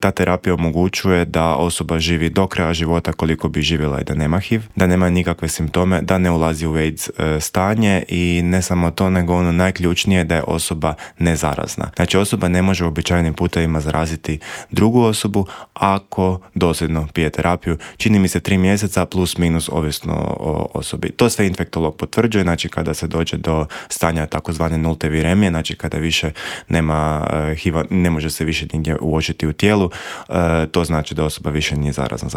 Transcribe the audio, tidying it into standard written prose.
ta terapija omogućuje da osoba živi do kraja života koliko bi živjela i da nema HIV, da nema nikakve simptome, da ne ulazi u AIDS stanje i ne samo to, nego ono najključnije da je osoba nezarazna. Znači osoba ne može uobičajenim putevima zaraziti drugu osobu ako dosljedno pije terapiju. Čini mi se 3 mjeseca plus minus ovisno o osobi. To sve infektolog potvrđuje, znači kada se dođe do stanja takozvane nulte viremije, znači kada više nema HIV-a, ne može se više nigdje uočiti u tijelu, to znači da osoba više nije zarazna.